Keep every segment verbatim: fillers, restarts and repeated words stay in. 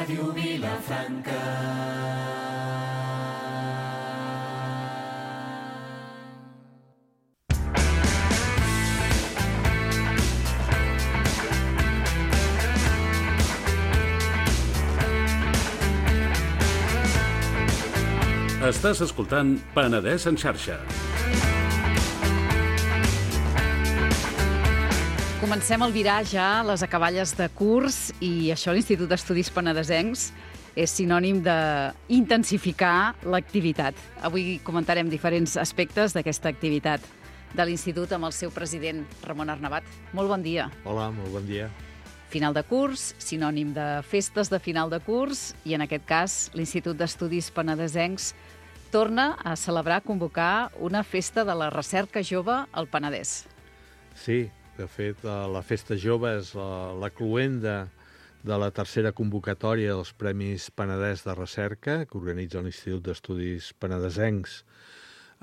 Ràdio Vilafranca. Estàs escoltant Penedès en xarxa. Comencem a albirar ja les acaballes de curs i això l'Institut d'Estudis Penedesencs és sinònim d'intensificar l'activitat. Avui comentarem diferents aspectes d'aquesta activitat de l'Institut amb el seu president, Ramon Arnabat. Molt bon dia. Hola, molt bon dia. Final de curs, sinònim de festes de final de curs i en aquest cas l'Institut d'Estudis Penedesencs torna a celebrar, convocar una festa de la recerca jove al Penedès. Sí, de fet, la Festa Jove és la, la cloenda de la tercera convocatòria dels Premis Penedès de Recerca que organitza l'Institut d'Estudis Penedesencs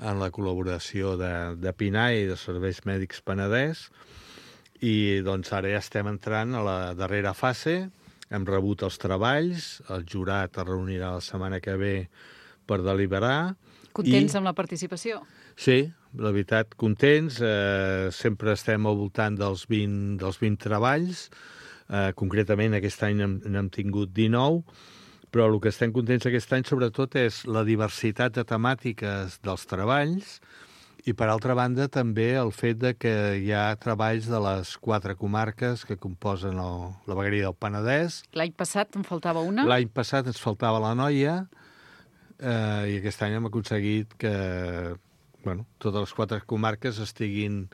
en la col·laboració de, de PINAE i de Serveis Mèdics Penedès. I doncs ara ja estem entrant a la darrera fase, hem rebut els treballs, el jurat es reunirà la setmana que ve per deliberar. Contents I... amb la participació? Sí, la veritat, contents. Eh, sempre estem al voltant dels vint, dels vint treballs. Eh, concretament, aquest any n'hem tingut dinou, però el que estem contents aquest any, sobretot, és la diversitat de temàtiques dels treballs i, per altra banda, també el fet de que hi ha treballs de les quatre comarques que composen el, la vegueria del Penedès. L'any passat en faltava una? L'any passat ens faltava l'Anoia, eh, i aquest any hem aconseguit que bueno, totes les quatre comarques estiguin,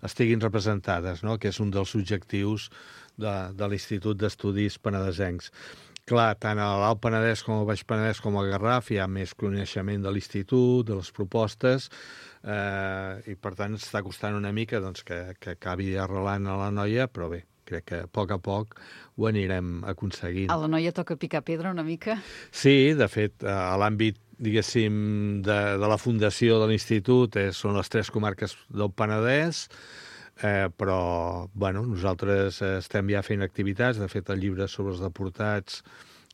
estiguin representades, no? Que és un dels objectius de, de l'Institut d'Estudis Penedesencs. Clar, tant a l'Alt Penedès com al Baix Penedès com al Garraf hi ha més coneixement de l'Institut, de les propostes, eh, i per tant està costant una mica doncs, que, que acabi arrelant a l'Anoia, però bé, crec que a poc a poc ho anirem aconseguint. A l'Anoia toca picar pedra una mica? Sí, de fet, a l'àmbit diguéssim, de, de la fundació de l'Institut eh, són les tres comarques del Penedès, eh, però bueno, nosaltres eh, estem ja fent activitats. De fet, el llibre sobre els deportats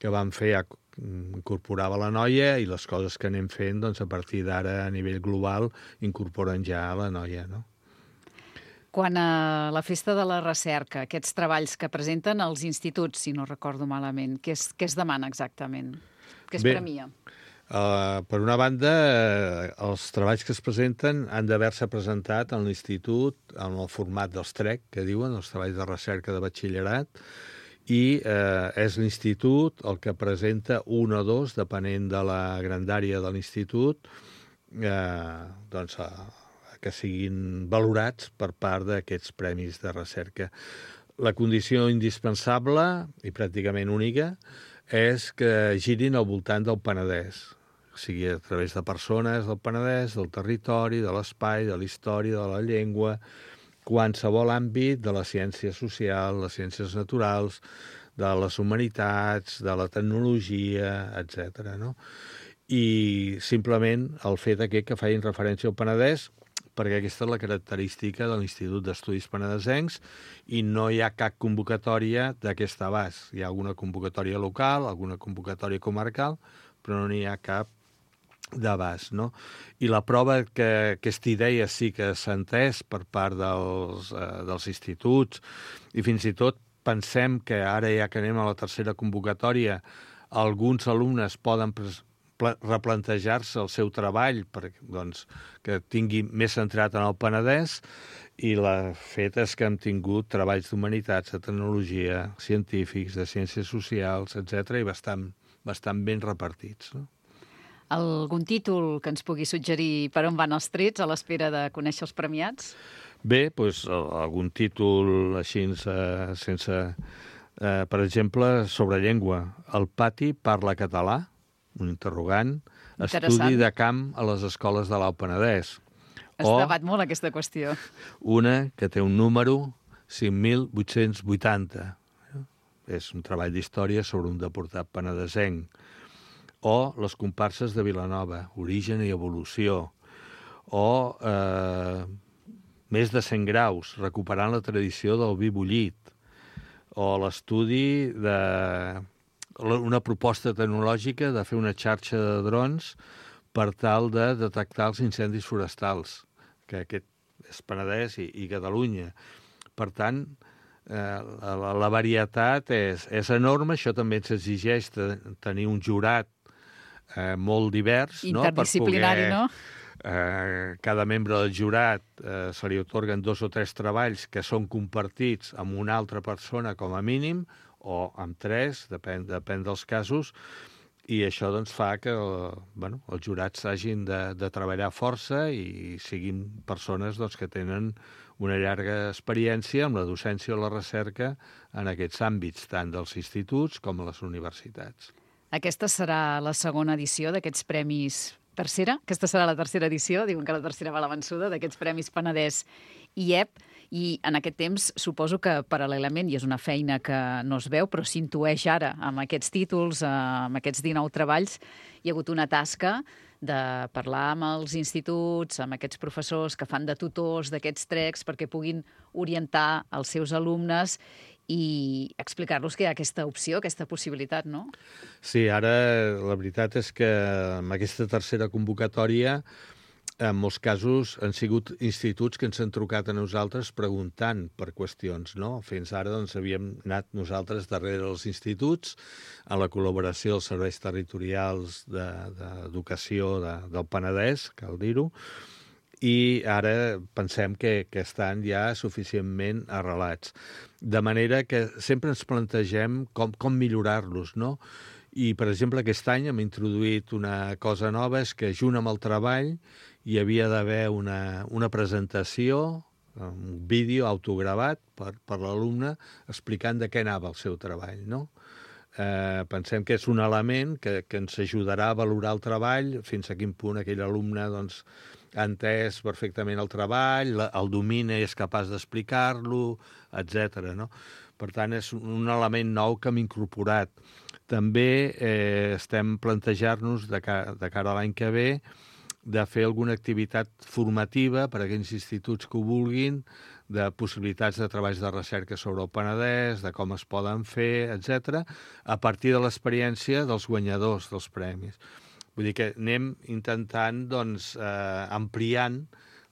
que vam fer ja incorporava l'Anoia i les coses que anem fent doncs, a partir d'ara a nivell global incorporen ja l'Anoia, no? Quan a la Festa de la Recerca, aquests treballs que presenten els instituts, si no recordo malament, què es, què es demana exactament? Què es Bé, premia? Uh, per una banda, uh, els treballs que es presenten han d'haver-se presentat en l'Institut en el format dels T R E C, que diuen, els treballs de recerca de batxillerat, i uh, és l'Institut el que presenta un o dos, depenent de la grandària de l'Institut, uh, doncs, uh, que siguin valorats per part d'aquests premis de recerca. La condició indispensable i pràcticament única és que girin al voltant del Penedès, o sigui, a través de persones del Penedès, del territori, de l'espai, de la història, de la llengua, qualsevol àmbit de la ciència social, les ciències naturals, de les humanitats, de la tecnologia, etcètera, no? I simplement el fet aquest que feien referència al Penedès, perquè aquesta és la característica de l'Institut d'Estudis Penedesencs i no hi ha cap convocatòria d'aquest abast. Hi ha alguna convocatòria local, alguna convocatòria comarcal, però no n'hi ha cap d'abast, no? I la prova que aquesta idea sí que s'ha entès per part dels, eh, dels instituts i fins i tot pensem que ara ja que anem a la tercera convocatòria alguns alumnes poden replantejar-se el seu treball per, doncs, que tingui més centrat en el Penedès i el fet és que hem tingut treballs d'humanitats, de tecnologia, científics, de ciències socials, etcètera, i bastant, bastant ben repartits, no? Algun títol que ens pugui suggerir per on van els trets a l'espera de conèixer els premiats? Bé, doncs, algun títol així sense... sense eh, per exemple, sobre llengua. El pati parla català? Un interrogant, estudi de camp a les escoles de l'Alt Penedès. Es o debat molt aquesta qüestió. Una que té un número cinc mil vuit-cents vuitanta. És un treball d'història sobre un deportat penedesenc. O les comparses de Vilanova, origen i evolució. O eh, més de cent graus, recuperant la tradició del vi bullit. O l'estudi de una proposta tecnològica de fer una xarxa de drons per tal de detectar els incendis forestals, que aquest és Penedès i, i Catalunya. Per tant, eh, la, la varietat és, és enorme, això també ens exigeix de, tenir un jurat eh, molt divers, no? Interdisciplinari, per poder, no? Eh, cada membre del jurat eh, se li otorguen dos o tres treballs que són compartits amb una altra persona com a mínim, o amb tres, depèn, depèn dels casos, i això doncs, fa que bueno, els jurats hagin de, de treballar força i siguin persones doncs, que tenen una llarga experiència amb la docència o la recerca en aquests àmbits, tant dels instituts com les universitats. Aquesta serà la segona edició d'aquests premis. Tercera? Aquesta serà la tercera edició, diuen que la tercera va a la vençuda, d'aquests Premis Penedès i E P, i en aquest temps suposo que paral·lelament, i és una feina que no es veu, però s'intueix ara amb aquests títols, amb aquests dinou treballs, hi ha hagut una tasca de parlar amb els instituts, amb aquests professors que fan de tutors d'aquests trecs perquè puguin orientar els seus alumnes i explicar-los que hi ha aquesta opció, aquesta possibilitat, no? Sí, ara la veritat és que amb aquesta tercera convocatòria, en molts casos han sigut instituts que ens han trucat a nosaltres preguntant per qüestions, no? Fins ara doncs, havíem anat nosaltres darrere dels instituts, a la col·laboració dels serveis territorials d'educació de, de, del Penedès, cal dir-ho, i ara pensem que, que estan ja suficientment arrelats. De manera que sempre ens plantegem com, com millorar-los, no? I, per exemple, aquest any hem introduït una cosa nova, és que junt amb el treball hi havia d'haver una, una presentació, un vídeo autogravat per, per l'alumne explicant de què anava el seu treball, no? Eh, pensem que és un element que, que ens ajudarà a valorar el treball, fins a quin punt aquell alumne doncs, ha entès perfectament el treball, el domina i és capaç d'explicar-lo, etcètera. No? Per tant, és un element nou que hem incorporat. També eh, estem plantejant-nos de, ca de cara a l'any que ve de fer alguna activitat formativa per a aquells instituts que ho vulguin, de possibilitats de treballs de recerca sobre el Penedès, de com es poden fer, etcètera, a partir de l'experiència dels guanyadors dels premis. Vull dir que anem intentant doncs, eh, ampliant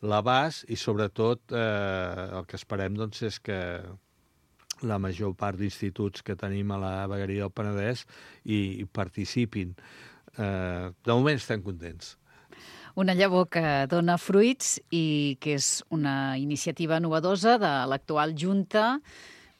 l'abast i, sobretot, eh, el que esperem doncs, és que la major part d'instituts que tenim a la vegueria del Penedès hi, hi participin. Eh, de moment estem contents. Una llavor que dona fruits i que és una iniciativa novedosa de l'actual Junta,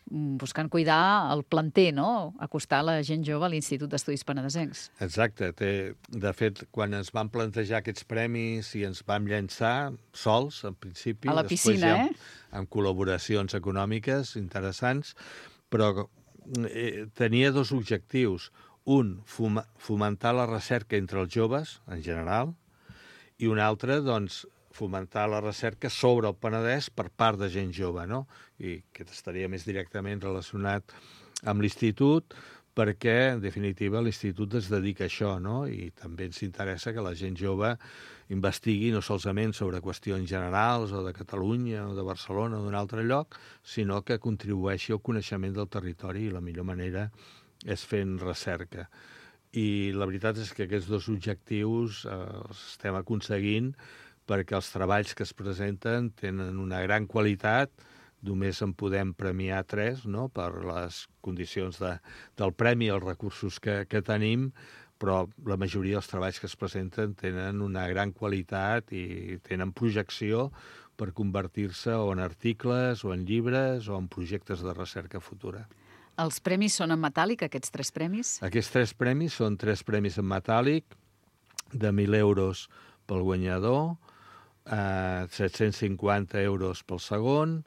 buscant cuidar el planter, no? Acostar la gent jove a l'Institut d'Estudis Penedesencs. Exacte. Té, de fet, quan ens van plantejar aquests premis i ens vam llançar sols, en principi, a la piscina, ja, eh? amb col·laboracions econòmiques interessants, però eh, tenia dos objectius. Un, fom fomentar la recerca entre els joves, en general, i un altre, doncs, fomentar la recerca sobre el Penedès per part de gent jove, no? I que estaria més directament relacionat amb l'institut, perquè, en definitiva, l'institut es dedica a això, no? I també ens interessa que la gent jove investigui no solament sobre qüestions generals o de Catalunya o de Barcelona o d'un altre lloc, sinó que contribueixi al coneixement del territori i la millor manera és fent recerca. I la veritat és que aquests dos objectius eh, els estem aconseguint perquè els treballs que es presenten tenen una gran qualitat, només en podem premiar tres, no?, per les condicions de, del premi i els recursos que, que tenim, però la majoria dels treballs que es presenten tenen una gran qualitat i tenen projecció per convertir-se o en articles, o en llibres, o en projectes de recerca futura. Els premis són en metàl·lic, aquests tres premis? Aquests tres premis són tres premis en metàl·lic, de mil euros pel guanyador, eh, set-cents cinquanta euros pel segon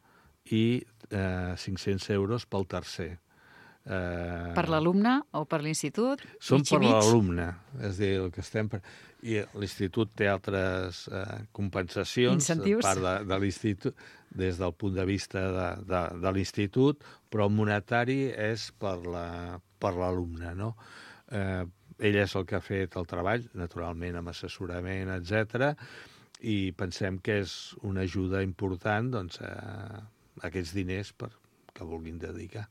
i eh, cinc-cents euros pel tercer. Eh, per l'alumne o per l'institut? Són per l'alumne, és a dir, el que estem per... I l'institut té altres eh, compensacions, incentius, part de, de l'institut, des del punt de vista de, de, de l'institut, però el monetari és per l'alumne, no? Eh, ell és el que ha fet el treball, naturalment amb assessorament, etcètera, i pensem que és una ajuda important doncs, a aquests diners per, que vulguin dedicar.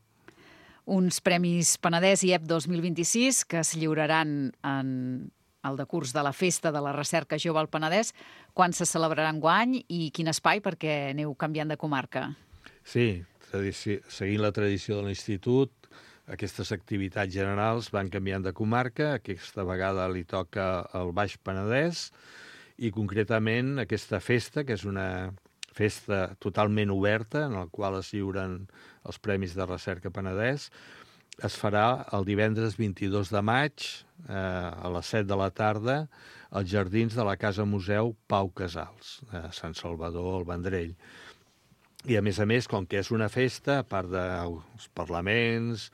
uns Premis Penedès I E P dos mil vint-i-sis que es lliuraran en el decurs de la Festa de la Recerca Jove al Penedès. Quan se celebrarà enguany i quin espai, perquè aneu canviant de comarca? Sí, tradici- seguint la tradició de l'Institut, aquestes activitats generals van canviant de comarca. Aquesta vegada li toca al Baix Penedès i concretament aquesta festa, que és una festa totalment oberta en la qual es lliuren els Premis de Recerca Penedès, es farà el divendres vint-i-dos de maig eh, a les set de la tarda als jardins de la Casa Museu Pau Casals, a Sant Salvador, al Vendrell. I, a més a més, com que és una festa, a part dels parlaments,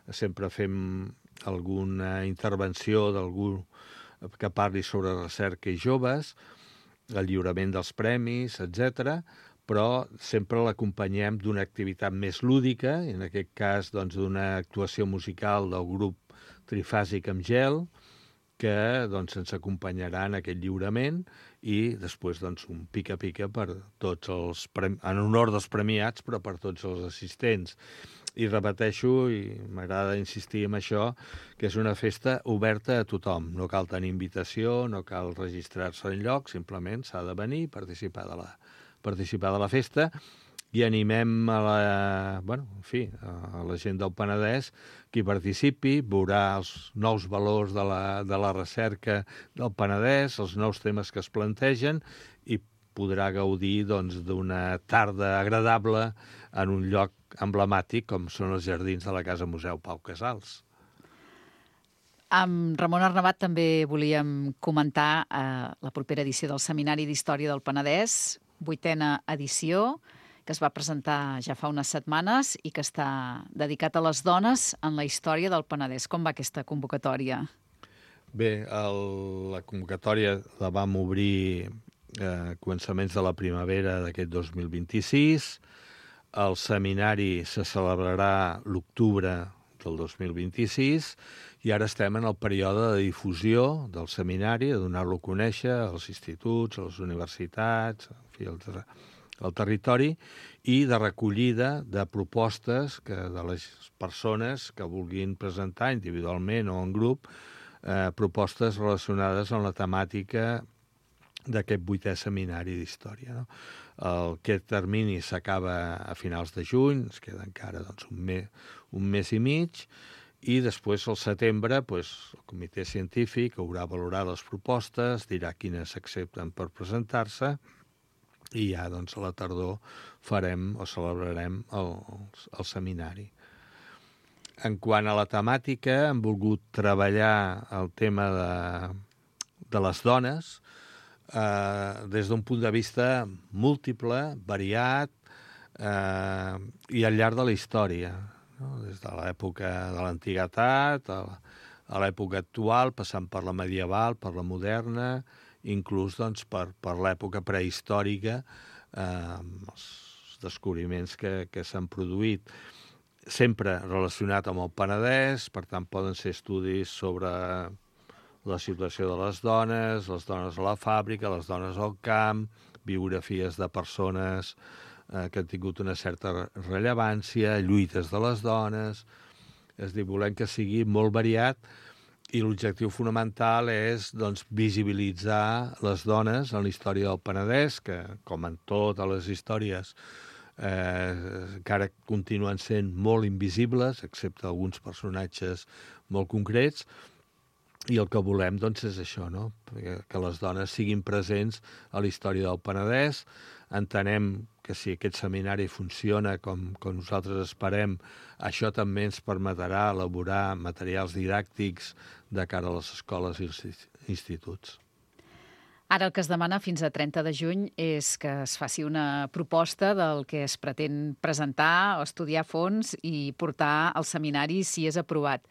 sempre fem alguna intervenció d'algú que parli sobre recerca i joves, el lliurament dels premis, etcètera, però sempre l'acompanyem d'una activitat més lúdica, i en aquest cas doncs, d'una actuació musical del grup Trifàsic amb Gel, que doncs, ens acompanyarà en aquest lliurament, i després doncs, un pica-pica per tots els premi... en honor dels premiats, però per tots els assistents. I repeteixo, i m'agrada insistir en això, que és una festa oberta a tothom. No cal tenir invitació, no cal registrar-se enlloc, simplement s'ha de venir i participar de la, participar de la festa, i animem a la, bueno, en fi, a la gent del Penedès que hi participi, veurà els nous valors de la, de la recerca del Penedès, els nous temes que es plantegen, i podrà gaudir doncs, d'una tarda agradable en un lloc emblemàtic com són els jardins de la Casa Museu Pau Casals. Amb Ramon Arnabat també volíem comentar eh, la propera edició del Seminari d'Història del Penedès, vuitena edició, que es va presentar ja fa unes setmanes i que està dedicat a les dones en la història del Penedès. Com va aquesta convocatòria? Bé, el, la convocatòria la vam obrir a eh, començaments de la primavera d'aquest dos mil vint-i-sis. El seminari se celebrarà l'octubre del dos mil vint-i-sis i ara estem en el període de difusió del seminari, de donar-lo a conèixer als instituts, a les universitats, en fi, al, ter al territori, i de recollida de propostes que, de les persones que vulguin presentar individualment o en grup eh, propostes relacionades amb la temàtica d'aquest vuitè seminari d'història. No? El, aquest termini s'acaba a finals de juny, ens queda encara doncs, un, me, un mes i mig, i després al setembre pues, el comitè científic haurà valorat les propostes, dirà quines s'accepten per presentar-se, i ja doncs, a la tardor farem o celebrarem el, el seminari. En quant a la temàtica, hem volgut treballar el tema de, de les dones, Uh, des d'un punt de vista múltiple, variat uh, i al llarg de la història, no? Des de l'època de l'antiguitat a l'època actual, passant per la medieval, per la moderna, inclús doncs, per, per l'època prehistòrica, uh, els descobriments que, que s'han produït, sempre relacionat amb el Penedès, per tant poden ser estudis sobre la situació de les dones, les dones a la fàbrica, les dones al camp, biografies de persones eh, que han tingut una certa rellevància, lluites de les dones. És a dir, volem que sigui molt variat i l'objectiu fonamental és doncs, visibilitzar les dones en la història del Penedès, que, com en totes les històries, eh, encara continuen sent molt invisibles, excepte alguns personatges molt concrets. I el que volem doncs, és això, no? Que les dones siguin presents a la història del Penedès. Entenem que si aquest seminari funciona com, com nosaltres esperem, això també ens permetrà elaborar materials didàctics de cara a les escoles i els instituts. Ara el que es demana fins a trenta de juny és que es faci una proposta del que es pretén presentar o estudiar a fons i portar al seminari si és aprovat.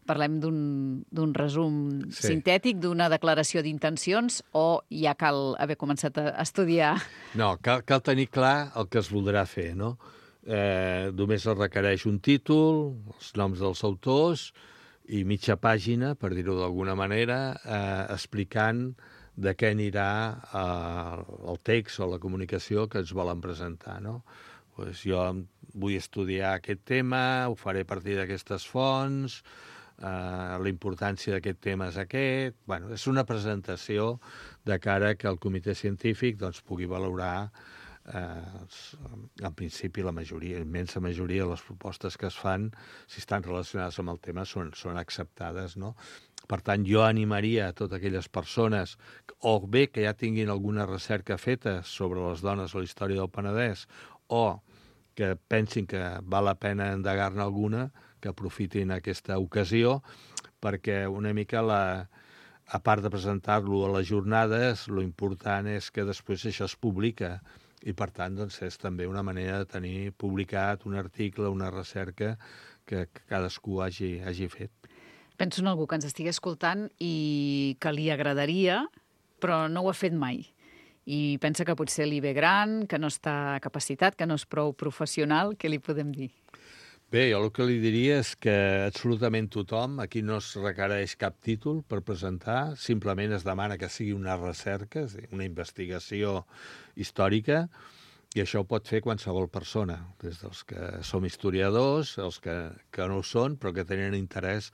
Parlem d'un resum sí. sintètic, d'una declaració d'intencions, o ja cal haver començat a estudiar? No, cal, cal tenir clar el que es voldrà fer, no? Eh, només es requereix un títol, els noms dels autors i mitja pàgina, per dir-ho d'alguna manera, eh, explicant de què anirà eh, el text o la comunicació que ens volen presentar, no? Pues jo vull estudiar aquest tema, ho faré a partir d'aquestes fonts, eh, la importància d'aquest tema és aquest... Bueno, és una presentació de cara que el comitè científic doncs, pugui valorar eh, en principi la majoria, la immensa majoria de les propostes que es fan, si estan relacionades amb el tema, són, són acceptades, no? Per tant, jo animaria a totes aquelles persones, o bé que ja tinguin alguna recerca feta sobre les dones a la història del Penedès, o que pensin que val la pena endegar-ne alguna, que aprofitin aquesta ocasió, perquè una mica, la, a part de presentar-lo a les jornades, lo important és que després això es publica, i per tant doncs, és també una manera de tenir publicat un article, una recerca que, que cadascú hagi, hagi fet. Penso en algú que ens estigui escoltant i que li agradaria, però no ho ha fet mai. I pensa que potser li ve gran, que no està capacitat, que no és prou professional. Què li podem dir? Bé, jo el que li diria és que absolutament tothom, aquí no es requereix cap títol per presentar, simplement es demana que sigui una recerca, una investigació històrica, i això ho pot fer qualsevol persona, des dels que som historiadors, els que, que no ho són, però que tenen interès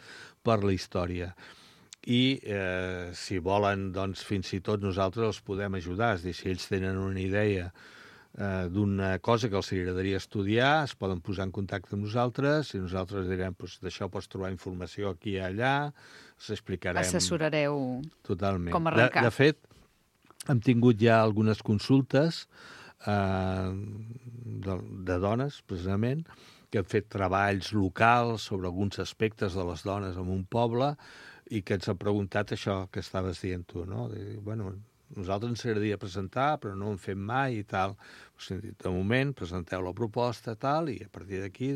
per la història. I eh, si volen, doncs, fins i tot nosaltres els podem ajudar. És a dir, si ells tenen una idea eh, d'una cosa que els agradaria estudiar, es poden posar en contacte amb nosaltres i nosaltres direm, doncs, d'això pots trobar informació aquí i allà, us explicarem... Assessorareu totalment. com arrencar. De, de fet, hem tingut ja algunes consultes eh, de, de dones, precisament, que han fet treballs locals sobre alguns aspectes de les dones en un poble i que ens han preguntat això que estaves dient tu, no? De, bueno, nosaltres ens agradaria presentar, però no ho hem fet mai i tal. De moment, presenteu la proposta, tal, i a partir d'aquí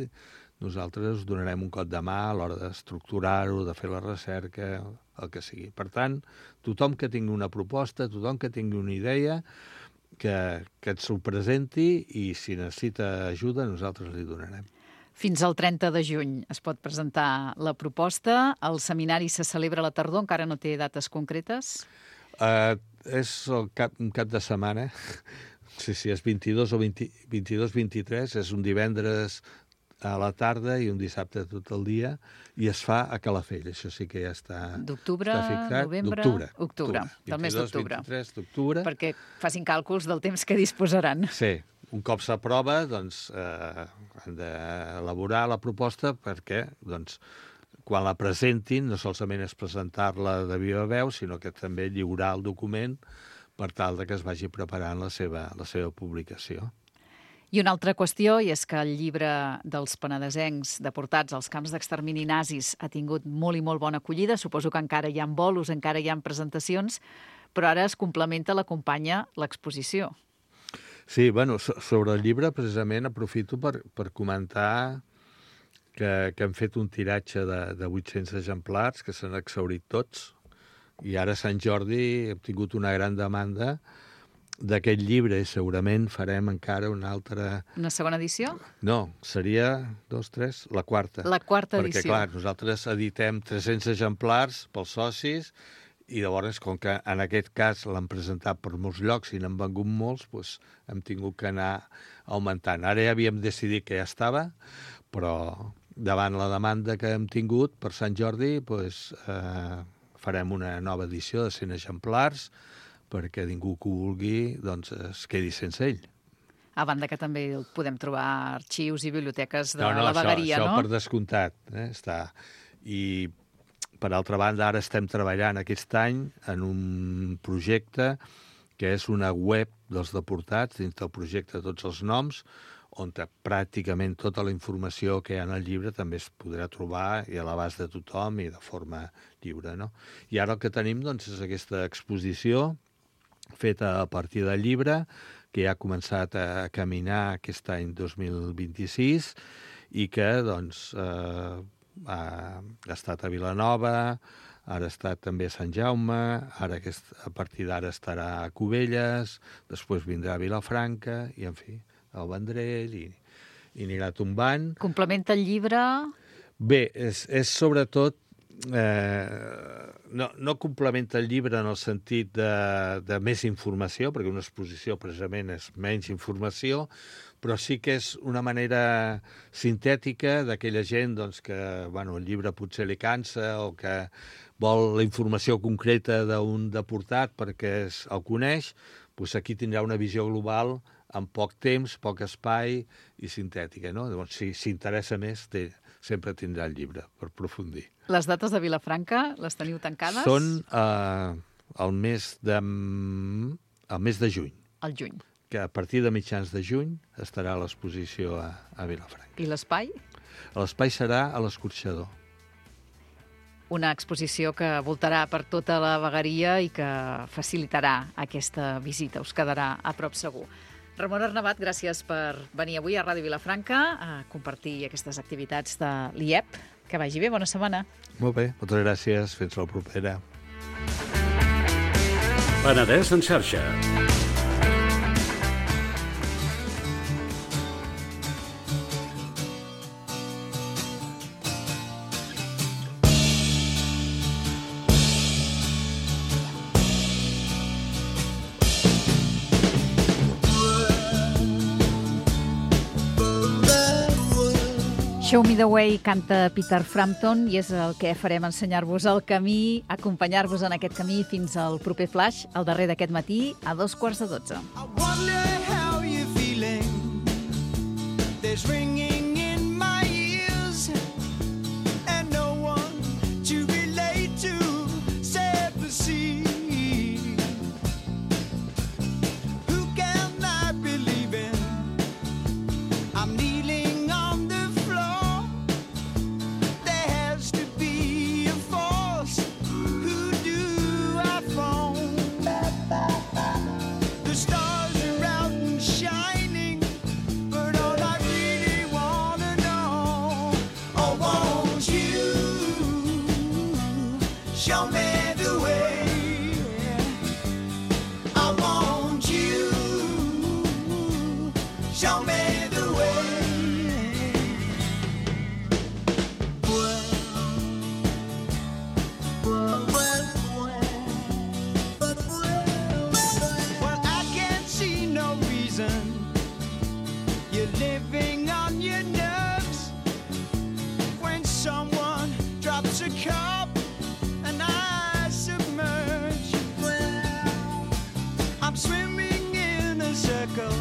nosaltres us donarem un cop de mà a l'hora d'estructurar-ho, de fer la recerca, el que sigui. Per tant, tothom que tingui una proposta, tothom que tingui una idea, que, que ens ho presenti i si necessita ajuda nosaltres li donarem. Fins al trenta de juny es pot presentar la proposta. El seminari se celebra a la tardor, encara no té dates concretes? Uh, és el cap, un cap de setmana. Sí, sí, és vint-i-dos o vint-i-dos vint-i-tres, és un divendres a la tarda i un dissabte tot el dia, i es fa a Calafell, això sí que ja està, d'octubre, està fixat. Novembre? D'octubre. Octubre, del mes d'octubre. vint-i-dos vint-i-tres d'octubre. Perquè facin càlculs del temps que disposaran. Sí, un cop s'aprova, doncs, eh, han d'elaborar la proposta perquè, doncs, quan la presentin, no solament és presentar-la de viva veu, sinó que també lliurar el document per tal de que es vagi preparant la seva, la seva publicació. I una altra qüestió, i és que el llibre dels penedesencs deportats als camps d'extermini nazis ha tingut molt i molt bona acollida. Suposo que encara hi ha bolos, encara hi ha presentacions, però ara es complementa, l'acompanya l'exposició. Sí, bueno, sobre el llibre, precisament, aprofito per, per comentar que, que hem fet un tiratge de, de vuit-cents exemplars, que s'han exhaurit tots, i ara a Sant Jordi hem tingut una gran demanda d'aquest llibre i segurament farem encara una altra... Una segona edició? No, seria, dos, tres, la quarta. La quarta Perquè, edició. Perquè, clar, nosaltres editem tres-cents exemplars pels socis i llavors, com que en aquest cas l'han presentat per molts llocs i n'han vengut molts, doncs hem tingut que anar augmentant. Ara ja havíem decidit que ja estava, però davant la demanda que hem tingut per Sant Jordi, doncs, eh, farem una nova edició de cent exemplars, perquè ningú que ho vulgui doncs, es quedi sense ell. A banda que també el podem trobar a arxius i biblioteques de no, no, la vegueria, això, no? Això per descomptat. Eh, està. I, per altra banda, ara estem treballant aquest any en un projecte que és una web dels deportats, dins del projecte Tots els Noms, on pràcticament tota la informació que hi ha en el llibre també es podrà trobar i a l'abast de tothom i de forma lliure, no? I ara el que tenim doncs, és aquesta exposició feta a partir del llibre, que ja ha començat a caminar aquest any dos mil vint-i-sis i que doncs, eh, ha estat a Vilanova, ara ha estat també a Sant Jaume, ara aquest, a partir d'ara estarà a Cubelles, després vindrà a Vilafranca, i en fi, al Vendrell, i, i anirà tombant. Complementa el llibre? Bé, és, és sobretot... Eh, no, no complementa el llibre en el sentit de, de més informació, perquè una exposició precisament és menys informació, però sí que és una manera sintètica d'aquella gent doncs, que bueno, el llibre potser li cansa o que vol la informació concreta d'un deportat perquè es, el coneix, doncs aquí tindrà una visió global en poc temps, poc espai i sintètica. No? Llavors, si s'interessa més, té, sempre tindrà el llibre per aprofundir. Les dates de Vilafranca les teniu tancades? Són eh, el, mes de, el mes de juny. Al juny. Que a partir de mitjans de juny estarà l'exposició a, a Vilafranca. I l'espai? L'espai serà a l'Escorxador. Una exposició que voltarà per tota la vegueria i que facilitarà aquesta visita. Us quedarà a prop segur. Ramon Arnabat, gràcies per venir avui a Ràdio Vilafranca a compartir aquestes activitats de l'I E P. Que vagi bé, bona setmana. Molt bé, moltes gràcies. Fins la propera. Penedès en xarxa. Show Me the Way canta Peter Frampton i és el que farem, ensenyar-vos el camí, acompanyar-vos en aquest camí fins al proper flash, el darrer d'aquest matí, a dos quarts de dotze. I wonder how you're feeling. There's ringing in my ears and no one to relate to save the sea. Who can I believe in? I'm kneeling on the show me the way. I want you. Show me the way. Well, I can't see no reason you're living on your nerves when someone drops a cup. I'm swimming in a circle.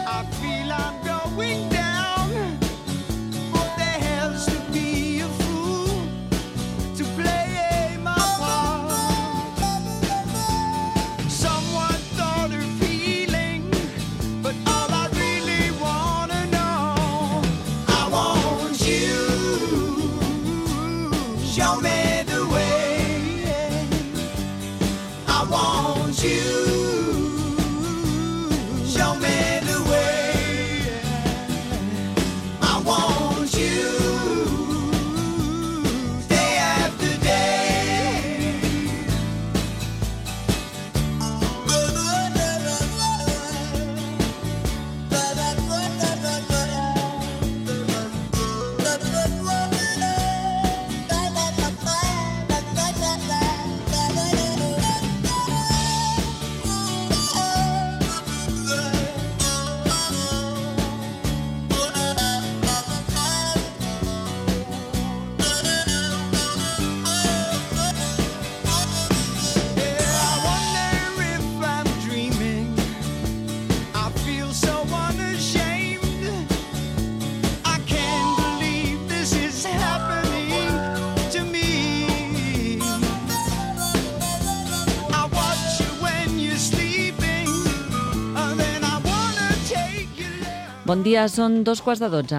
I feel I'm going down. There has to be a fool to play my part. Someone thought of healing, but all I really want to know, I want you. Show me the way. I want you. Show me the way. I want you. Day after day. Bon dia, són dos quarts de dotze.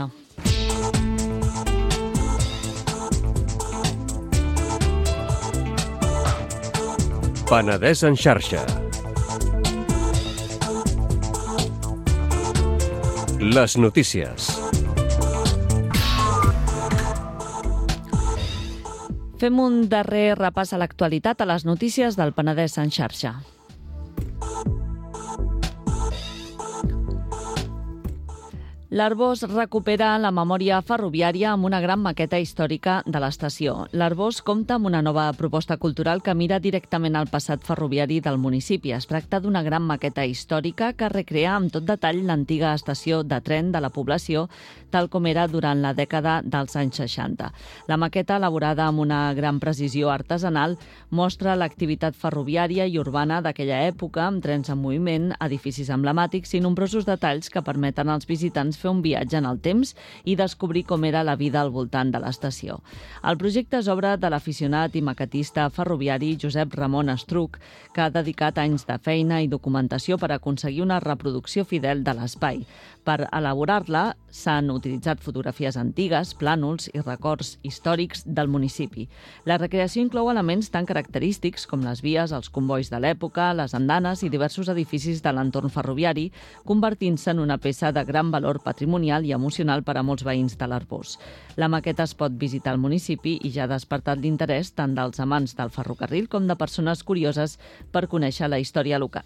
Penedès en xarxa. Les notícies. Fem un darrer repàs a l'actualitat a les notícies del Penedès en xarxa. L'Arbós recupera la memòria ferroviària amb una gran maqueta històrica de l'estació. L'Arbós compta amb una nova proposta cultural que mira directament al passat ferroviari del municipi. Es tracta d'una gran maqueta històrica que recrea amb tot detall l'antiga estació de tren de la població, tal com era durant la dècada dels anys seixanta. La maqueta, elaborada amb una gran precisió artesanal, mostra l'activitat ferroviària i urbana d'aquella època, amb trens en moviment, edificis emblemàtics i nombrosos detalls que permeten als visitants fer un viatge en el temps i descobrir com era la vida al voltant de l'estació. El projecte és obra de l'aficionat i maquetista ferroviari Josep Ramon Estruc, que ha dedicat anys de feina i documentació per aconseguir una reproducció fidel de l'espai. Per elaborar-la s'han utilitzat fotografies antigues, plànols i records històrics del municipi. La recreació inclou elements tan característics com les vies, els convois de l'època, les andanes i diversos edificis de l'entorn ferroviari, convertint-se en una peça de gran valor patrimonial i emocional per a molts veïns de l'Arbós. La maqueta es pot visitar al municipi i ja ha despertat l'interès tant dels amants del ferrocarril com de persones curioses per conèixer la història local.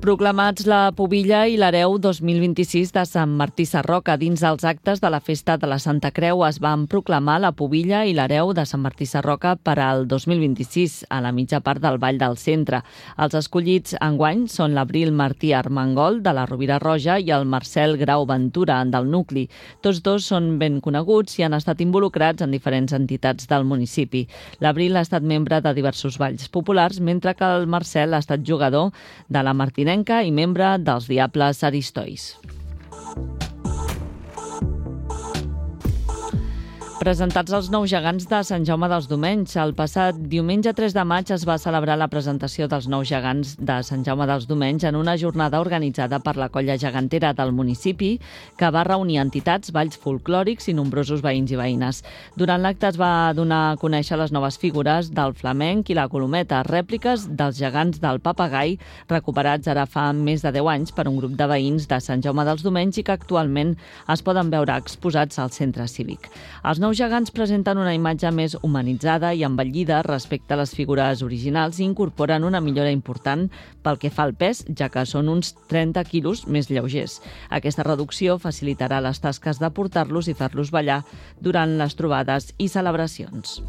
Proclamats la Pubilla i l'Hereu dos mil vint-i-sis de Sant Martí Sarroca. Dins els actes de la Festa de la Santa Creu es van proclamar la Pubilla i l'Hereu de Sant Martí Sarroca per al dos mil vint-i-sis, a la mitja part del Vall del Centre. Els escollits enguany són l'Abril Martí Armengol, de la Rovira Roja, i el Marcel Grau Ventura, del Nucli. Tots dos són ben coneguts i han estat involucrats en diferents entitats del municipi. L'Abril ha estat membre de diversos balls populars, mentre que el Marcel ha estat jugador de la Martinenca i membre dels Diables Aristois. Presentats els nous gegants de Sant Jaume dels Domenys. El passat diumenge tres de maig es va celebrar la presentació dels nous gegants de Sant Jaume dels Domenys en una jornada organitzada per la colla gegantera del municipi, que va reunir entitats, balls folclòrics i nombrosos veïns i veïnes. Durant l'acte es va donar a conèixer les noves figures del flamenc i la colometa, rèpliques dels gegants del papagai, recuperats ara fa més de deu anys per un grup de veïns de Sant Jaume dels Domenys i que actualment es poden veure exposats al centre cívic. Els nous gegants presenten una imatge més humanitzada i embellida respecte a les figures originals i incorporen una millora important pel que fa al pes, ja que són uns trenta quilos més lleugers. Aquesta reducció facilitarà les tasques de portar-los i fer-los ballar durant les trobades i celebracions.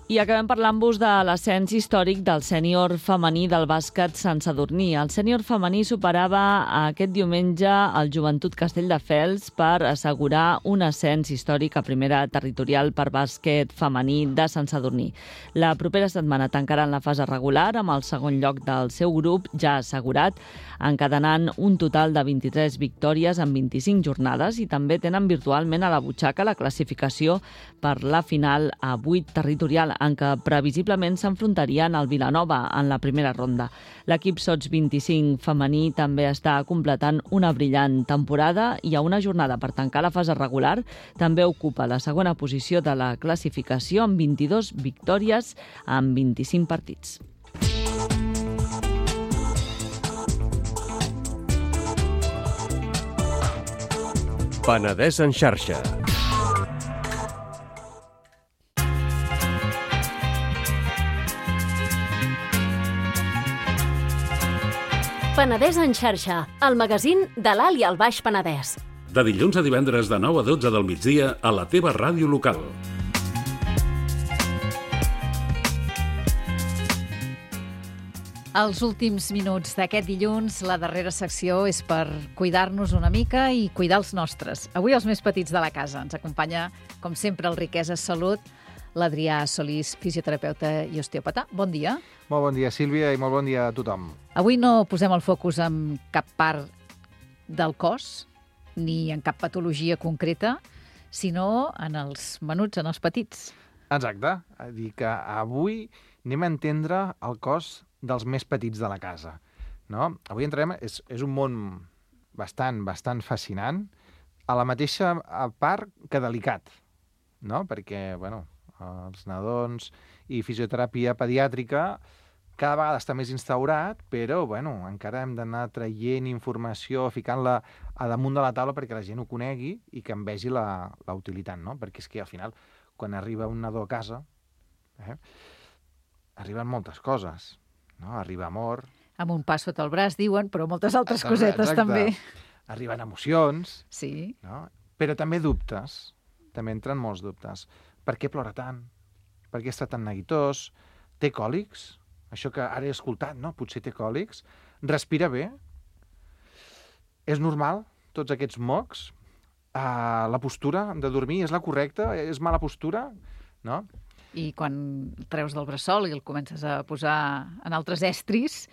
I acabem parlant-vos de l'ascens històric del sènior femení del bàsquet Sant Sadurní. El sènior femení superava aquest diumenge el Joventut Castelldefels per assegurar un ascens històric a primera territorial per bàsquet femení de Sant Sadurní. La propera setmana tancaran la fase regular amb el segon lloc del seu grup ja assegurat, encadenant un total de vint-i-tres victòries en vint-i-cinc jornades i també tenen virtualment a la butxaca la classificació per la final a vuit territorial, en què previsiblement s'enfrontarien al Vilanova en la primera ronda. L'equip Sots vint-i-cinc femení també està completant una brillant temporada i a una jornada per tancar la fase regular també ocupa la segona posició de la classificació amb vint-i-dos victòries en vint-i-cinc partits. Penedès en xarxa. Penedès en xarxa, el magazín de l'Alt i el Baix Penedès. De dilluns a divendres de nou a dotze del migdia a la teva ràdio local. Els últims minuts d'aquest dilluns, la darrera secció és per cuidar-nos una mica i cuidar els nostres. Avui els més petits de la casa. Ens acompanya, com sempre, el Riquesa Salut, l'Adrià Solís, fisioterapeuta i osteòpata. Bon dia. Molt bon dia, Sílvia, i molt bon dia a tothom. Avui no posem el focus en cap part del cos, ni en cap patologia concreta, sinó en els menuts, en els petits. Exacte. A dir que avui anem a entendre el cos dels més petits de la casa. No? Avui entrarem... És, és un món bastant, bastant fascinant, a la mateixa part que delicat, no? Perquè, bueno, els nadons i fisioteràpia pediàtrica cada vegada està més instaurat, però, bueno, encara hem d'anar traient informació, ficant-la a damunt de la taula perquè la gent ho conegui i que en vegi la, la utilitat, no? Perquè és que, al final, quan arriba un nadó a casa, Eh? Arriben moltes coses, no? Arriba amor... Amb un pas sota el braç, diuen, però moltes altres Exacte. cosetes també. Arriben emocions, Sí. no? Però també dubtes. També entren molts dubtes. Per què plora tant? Per què està tan neguitós? Té còlics? Això que ara he escoltat, no? Potser té còlics. Respira bé? És normal, tots aquests mocs? Uh, la postura de dormir és la correcta? És mala postura? No? I quan treus del bressol i el comences a posar en altres estris,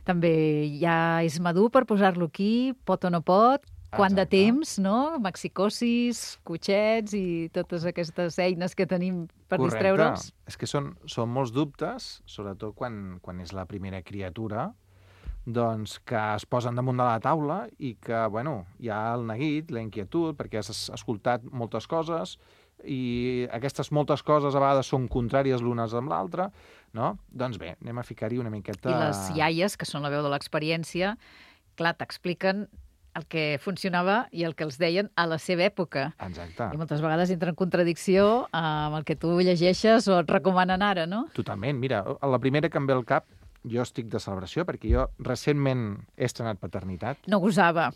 també ja és madur per posar-lo aquí, pot o no pot, quant de Exacte. temps, no? Maxicosis, cotxets i totes aquestes eines que tenim per Correcte. distreure'ls. És que són, són molts dubtes, sobretot quan, quan és la primera criatura, doncs que es posen damunt de la taula i que, bueno, hi ha el neguit, la inquietud, perquè has escoltat moltes coses i aquestes moltes coses a vegades són contràries l'unes amb l'altra, no? Doncs bé, anem a ficar-hi una miqueta... I les iaies, que són la veu de l'experiència, clar, t'expliquen el que funcionava i el que els deien a la seva època. Exacte. I moltes vegades entra en contradicció amb el que tu llegeixes o et recomanen ara, no? Totalment. Mira, la primera que em ve al cap, jo estic de celebració, perquè jo recentment he estrenat paternitat. No gosava.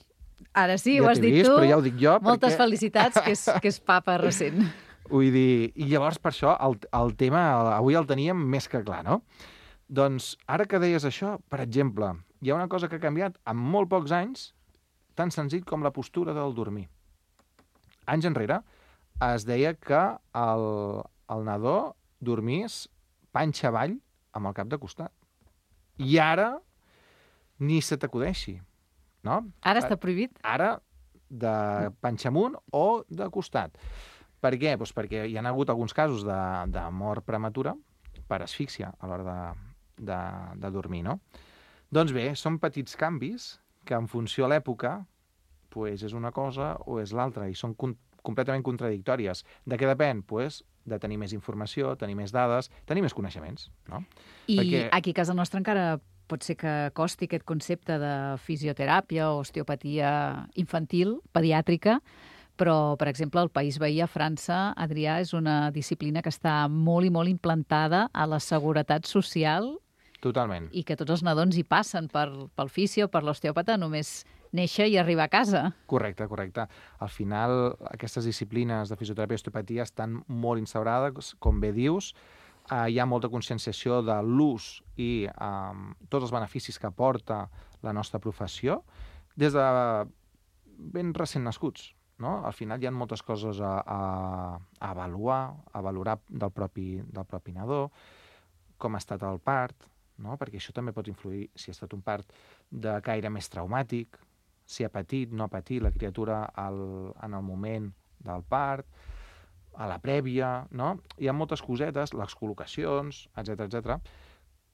Ara sí, Ja ho has t'he dit vist, tu. però ja ho dic jo, Moltes perquè- felicitats, que és, que és papa recent. Vull dir, i llavors per això el, el tema avui el teníem més que clar, no? Doncs ara que deies això, per exemple, hi ha una cosa que ha canviat en molt pocs anys, tan senzill com la postura del dormir. Anys enrere es deia que el, el nadó dormís panxa avall amb el cap de costat. I ara ni se t'acudeixi, no? Ara està prohibit? Ara de panxa amunt o de costat. Per què? Doncs perquè hi ha hagut alguns casos de, de mort prematura per asfíxia a l'hora de, de, de dormir, no? Doncs bé, són petits canvis que en funció a l'època pues, és una cosa o és l'altra i són con completament contradictòries. De què depèn? Pues, de tenir més informació, tenir més dades, tenir més coneixements, no? I Perquè- aquí a casa nostra encara pot ser que costi aquest concepte de fisioteràpia o osteopatia infantil, pediàtrica, però, per exemple, al país veí, a França, Adrià, és una disciplina que està molt i molt implantada a la seguretat social Totalment. i que tots els nadons hi passen per, pel fisio, per l'osteòpata, només néixer i arribar a casa. Correcte, correcte. Al final, aquestes disciplines de fisioteràpia i osteopatia estan molt instaurades, com bé dius, eh, hi ha molta conscienciació de l'ús i eh, tots els beneficis que aporta la nostra professió, des de ben recent nascuts. No? Al final hi ha moltes coses a, a, a avaluar, a valorar del propi, del propi nadó, com ha estat el part, no? Perquè això també pot influir si ha estat un part de caire més traumàtic, si ha patit, no ha patit la criatura al, en el moment del part, a la prèvia, no? Hi ha moltes cosetes, les col·locacions, etcètera, etcètera,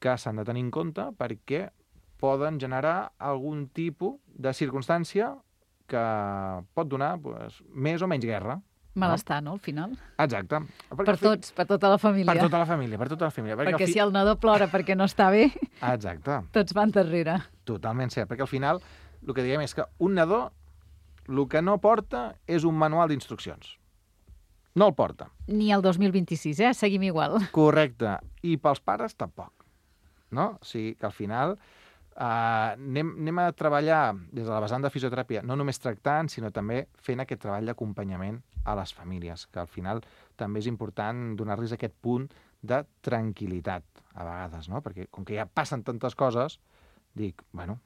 que s'han de tenir en compte perquè poden generar algun tipus de circumstància que pot donar pues, més o menys guerra. Malestar, no?, al final. Exacte. Perquè Per al fi- tots, per tota la família. Per tota la família, per tota la família. Perquè, Perquè al fi... si el nadó plora perquè no està bé, Exacte. tots van darrere. Totalment cert, perquè al final el que diem és que un nadó el que no porta és un manual d'instruccions. No el porta. Ni el dos mil vint-i-sis, eh? Seguim igual. Correcte. I pels pares tampoc. No? O sigui que al final eh, anem, anem a treballar des de la vessant de fisioteràpia, no només tractant, sinó també fent aquest treball d'acompanyament a les famílies, que al final també és important donar-los aquest punt de tranquil·litat, a vegades, no? Perquè com que ja passen tantes coses, dic, bueno,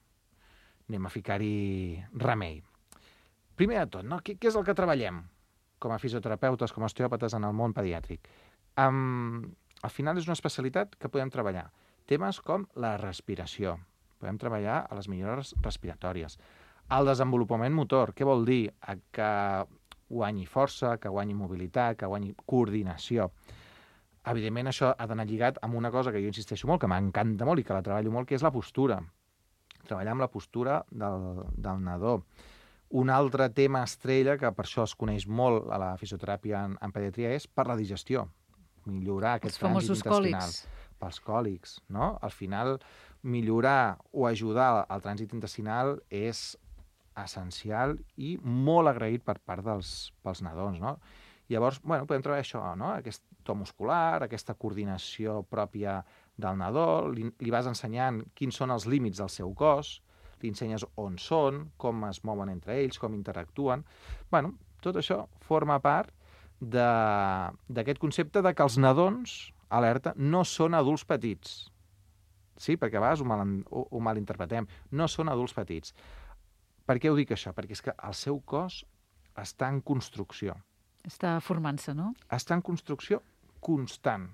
anem a ficar-hi remei. Primer de tot, no? Què, què és el que treballem com a fisioterapeutes, com a osteòpates en el món pediàtric? Um, al final és una especialitat que podem treballar. Temes com la respiració. Podem treballar a les millores respiratòries. El desenvolupament motor, què vol dir? Que guanyi força, que guanyi mobilitat, que guanyi coordinació. Evidentment, això ha d'anar lligat amb una cosa que jo insisteixo molt, que m'encanta molt i que la treballo molt, que és la postura. Treballar amb la postura del, del nadó. Un altre tema estrella, que per això es coneix molt a la fisioteràpia en, en pediatria, és per la digestió. Millorar aquest Els famosos trànsit intestinal. còlics. Pels còlics, no? Al final, millorar o ajudar el trànsit intestinal és essencial i molt agraït per part dels pels nadons, no? Llavors, bueno, podem treballar això, no? Aquest to muscular, aquesta coordinació pròpia del nadó, li, li vas ensenyant quins són els límits del seu cos, li ensenyes on són, com es mouen entre ells, com interactuen. Bueno, tot això forma part d'aquest concepte de que els nadons, alerta, no són adults petits. Sí, perquè a vegades ho, mal, ho, ho malinterpretem. No són adults petits. Per què ho dic això? Perquè és que el seu cos està en construcció. Està formant-se, no? Està en construcció constant.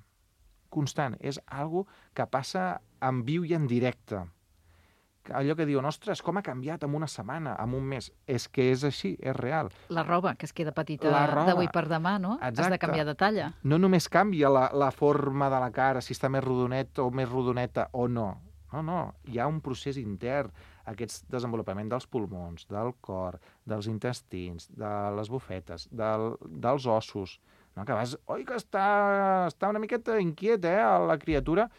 Constant. És algo que passa en viu i en directe. Allò que diuen, ostres, com ha canviat en una setmana, en un mes. És que és així, és real. La roba, que es queda petita d'avui per demà, no? Exacte. Has de canviar de talla. No només canvia la, la forma de la cara, si està més rodonet o més rodoneta o no. No, no. Hi ha un procés intern. Aquest desenvolupament dels pulmons, del cor, dels intestins, de les bufetes, del, dels ossos. No? Que vas, oi, que està, està una miqueta inquiet, eh, la criatura.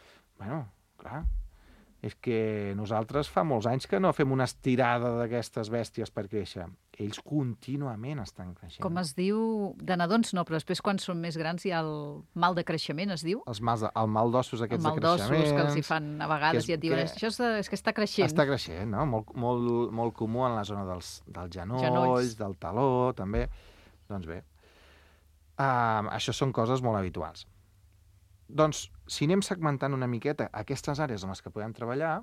Bueno, clar, és que nosaltres fa molts anys que no fem una estirada d'aquestes bèsties per créixer. Ells contínuament estan creixent. Com es diu, de nadons no, però després quan són més grans hi ha el mal de creixement, es diu? Els mals de, el mal d'ossos aquests de creixement. El mal d'ossos que els hi fan a vegades és, i et diuen, que, això és, de, és que està creixent. Està creixent, no? Molt, molt, molt comú en la zona dels, dels genolls, genolls, del taló, també. Doncs bé, uh, això són coses molt habituals. Doncs, si anem segmentant una miqueta aquestes àrees en les que podem treballar,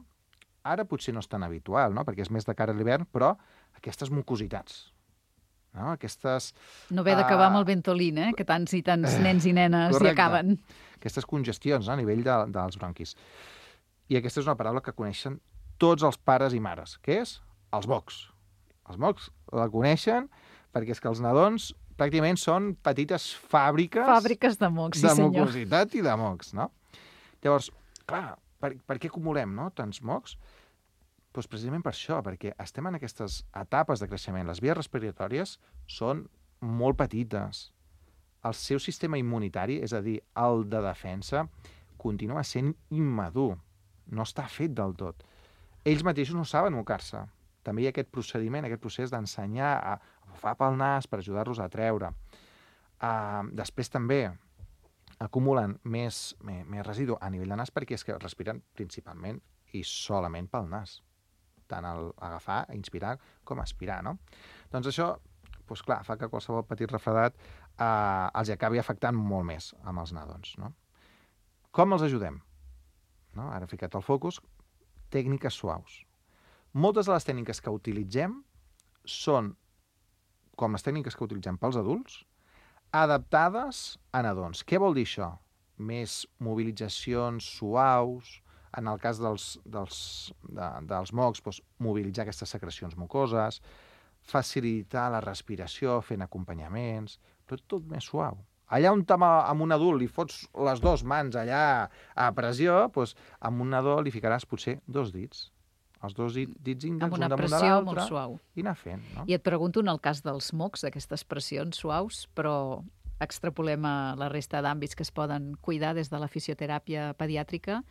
ara potser no és tan habitual, no? Perquè és més de cara a l'hivern, però aquestes mucositats, no? Aquestes... No haver d'acabar uh... amb el Ventolin, eh? Que tants i tants nens i nenes hi acaben. Aquestes congestions, no? A nivell de, dels bronquis. I aquesta és una paraula que coneixen tots els pares i mares, que és els mocs. Els mocs la coneixen perquè és que els nadons pràcticament són petites fàbriques... Fàbriques de mocs, sí senyor. De mucositat i de mocs, no? Llavors, clar, per, per què acumulem, no?, tants mocs? Doncs precisament per això, perquè estem en aquestes etapes de creixement. Les vies respiratòries són molt petites. El seu sistema immunitari, és a dir, el de defensa, continua sent immadur. No està fet del tot. Ells mateixos no saben mocar-se. També hi ha aquest procediment, aquest procés d'ensenyar a bufar pel nas per ajudar-los a treure. Uh, després també acumulen més, més, més residu a nivell de nas perquè és que respiren principalment i solament pel nas. Tant el agafar, inspirar, com aspirar, no? Doncs això, doncs clar, fa que qualsevol petit refredat uh, els acabi afectant molt més amb els nadons, no? Com els ajudem? No? Ara he ficat el focus. Tècniques suaus. Moltes de les tècniques que utilitzem són com les tècniques que utilitzem pels adults, adaptades a nadons. Què vol dir això? Més mobilitzacions suaus, en el cas dels, dels, de, dels mocs, doncs, mobilitzar aquestes secrecions mucoses, facilitar la respiració fent acompanyaments, però tot més suau. Allà on amb un adult li fots les dues mans allà a pressió, doncs amb un nadó li ficaràs potser dos dits. Els dos dits índexs, un damunt de l'altre, i anar fent. No? I et pregunto, en el cas dels mocs, d'aquestes pressions suaus, però extrapolem a la resta d'àmbits que es poden cuidar des de la fisioteràpia pediàtrica,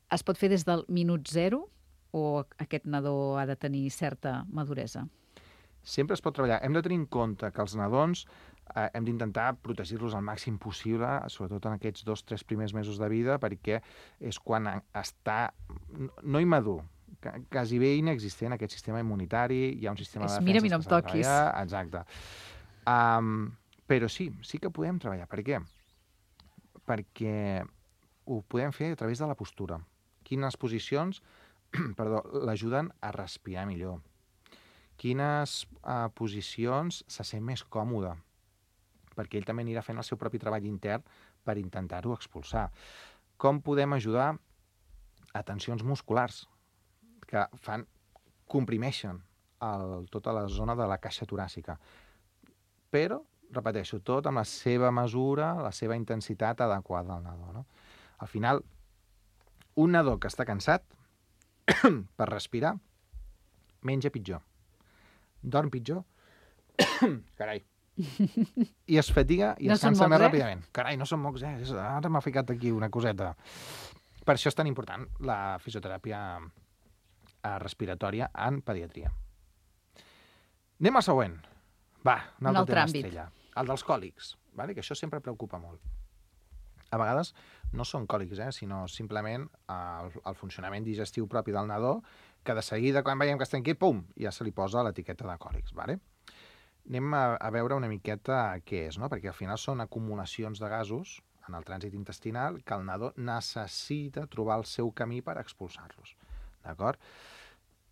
es pot fer des del minut zero o aquest nadó ha de tenir certa maduresa? Sempre es pot treballar. Hem de tenir en compte que els nadons eh, hem d'intentar protegir-los al màxim possible, sobretot en aquests dos o tres primers mesos de vida, perquè és quan està no immadur, quasi bé inexistent aquest sistema immunitari, hi ha un sistema és, de defensa... Mira, mira, em toquis. Exacte. Um, però sí, sí que podem treballar. Per què? Perquè ho podem fer a través de la postura. Quines posicions perdó, l'ajuden a respirar millor? Quines uh, posicions se sent més còmode? Perquè ell també anirà fent el seu propi treball intern per intentar-ho expulsar. Com podem ajudar a tensions musculars que fan, comprimeixen el, tota la zona de la caixa toràcica. Però, repeteixo, tot amb la seva mesura, la seva intensitat adequada al nadó. No? Al final, un nadó que està cansat per respirar, menja pitjor, dorm pitjor, carai, i es fatiga i no es cansa mocs, més eh? ràpidament. Carai, no són mocs, eh? Ara m'ha ficat aquí una coseta. Per això és tan important la fisioteràpia respiratòria en pediatria. Anem al següent. Va, un altre, un altre tema àmbit. estrella. el dels còlics, vale? Que això sempre preocupa molt. A vegades no són còlics, eh? Sinó simplement el, el funcionament digestiu propi del nadó, que de seguida, quan veiem que està inquiet, pum, ja se li posa l'etiqueta de còlics, vale? Anem a, a veure una miqueta què és, no? Perquè al final són acumulacions de gasos en el trànsit intestinal que el nadó necessita trobar el seu camí per expulsar-los, d'acord?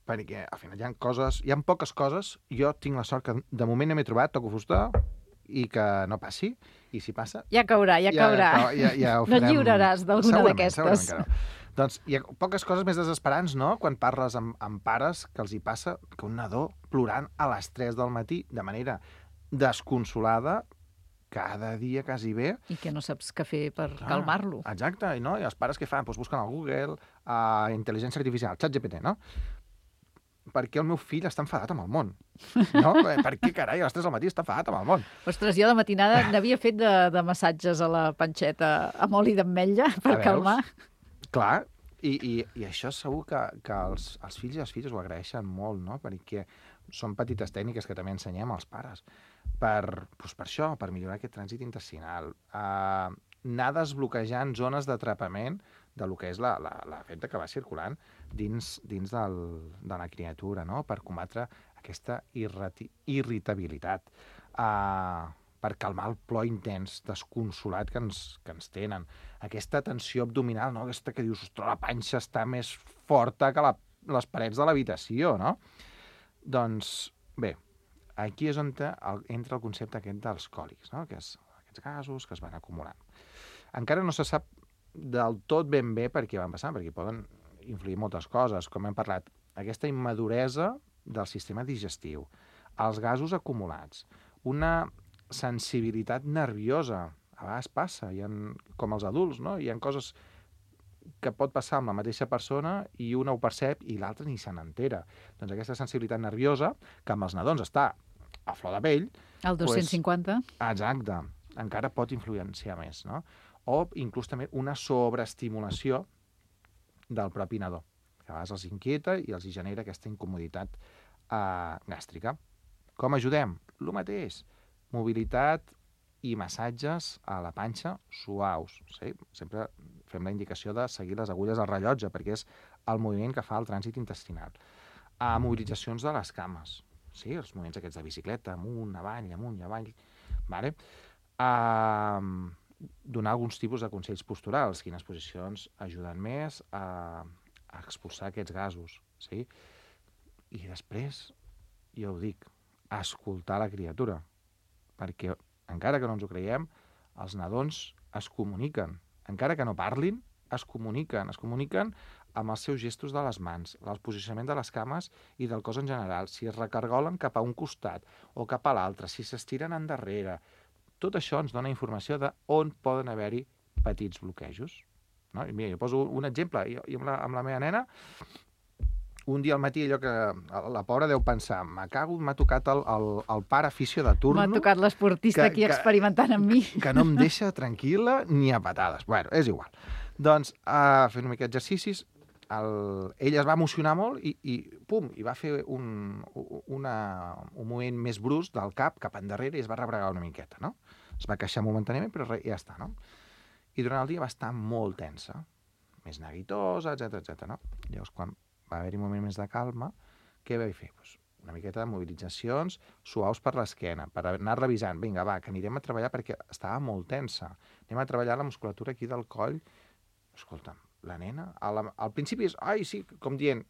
Perquè al final hi ha coses, hi ha poques coses, jo tinc la sort que de moment no m'he trobat, toco fusta, i que no passi, i si passa... Ja caurà, ja caurà. Ja, ja, ja ho no farem... et lliuraràs d'alguna d'aquestes. Doncs hi ha poques coses més desesperants, no?, quan parles amb, amb pares que els hi passa que un nadó plorant a les tres del matí de manera desconsolada cada dia quasi bé. I que no saps què fer per Clar, calmar-lo. Exacte, i, no? I els pares què fan? Doncs busquen al Google, a intel·ligència artificial, ChatGPT, no? Per què el meu fill està enfadat amb el món? No? Per què, carai, a les tres del matí està enfadat amb el món? Ostres, jo de matinada n'havia fet de, de massatges a la panxeta amb oli d'ametlla per calmar. Clar, i, i, i això segur que, que els, els fills i les filles ho agraeixen molt, no? Perquè són petites tècniques que també ensenyem als pares per, doncs per això, per millorar aquest trànsit intestinal. Uh, anar desbloquejant zones d'atrapament de lo que és la, la, la feta que va circulant dins, dins del, de la criatura, no? Per combatre aquesta irrati, irritabilitat, uh, per calmar el plor intens, desconsolat que ens, que ens tenen. Aquesta tensió abdominal, no? Aquesta que dius, ostres, la panxa està més forta que la, les parets de l'habitació, no? Doncs, bé, aquí és on el, entra el concepte aquest dels còlics, no? Que és aquests gasos que es van acumulant. Encara no se sap del tot ben bé per què van passar, perquè poden influir moltes coses, com hem parlat, aquesta immaduresa del sistema digestiu, els gasos acumulats, una sensibilitat nerviosa, a vegades passa, hi ha, com els adults, no? Hi ha coses que pot passar amb la mateixa persona i una ho percep i l'altra ni se n'entera. Doncs aquesta sensibilitat nerviosa, que amb els nadons està a flor de pell... El dos-cents cinquanta? Pues, exacte, encara pot influenciar més, no? O inclús també una sobreestimulació del propi nadó, que a vegades els inquieta i els genera aquesta incomoditat eh, gàstrica. Com ajudem? El mateix. Mobilitat i massatges a la panxa suaus. Sí? Sempre fem la indicació de seguir les agulles al rellotge, perquè és el moviment que fa el trànsit intestinal. A mobilitzacions de les cames. Sí, els moviments aquests de bicicleta, amunt, avall, amunt i avall. Vale? A donar alguns tipus de consells posturals, quines posicions ajuden més a, a expulsar aquests gasos. Sí? I després, jo ho dic, escoltar la criatura, perquè encara que no ens ho creiem, els nadons es comuniquen. Encara que no parlin, es comuniquen. Es comuniquen amb els seus gestos de les mans, el posicionament de les cames i del cos en general, si es recargolen cap a un costat o cap a l'altre, si s'estiren endarrere. Tot això ens dona informació de on poden haver-hi petits bloquejos. No? I mira, jo poso un exemple. Jo, jo amb, la, amb la meva nena, un dia al matí, allò que la pobra deu pensar, m'ha cago, m'ha tocat el, el, el pare afició de turno... M'ha tocat l'esportista aquí que, experimentant amb mi. Que no em deixa tranquil·la ni a patades. Bueno, és igual. Doncs, uh, fent una mica d'exercicis, el... ell es va emocionar molt i, i pum, i va fer un, una, un moviment més brusc del cap cap endarrere i es va rebregar una miqueta, no? Es va queixar momentàniament, però res, ja està, no? I durant el dia va estar molt tensa, més neguitosa, etcètera, etcètera, no? Llavors, quan va haver-hi un moment més de calma, què vaig fer? Pues una miqueta de mobilitzacions suaus per l'esquena, per anar revisant. Vinga, va, que anirem a treballar perquè estava molt tensa. Anem a treballar la musculatura aquí del coll. Escolta'm, la nena, al, al principi és, ai, sí, com dient,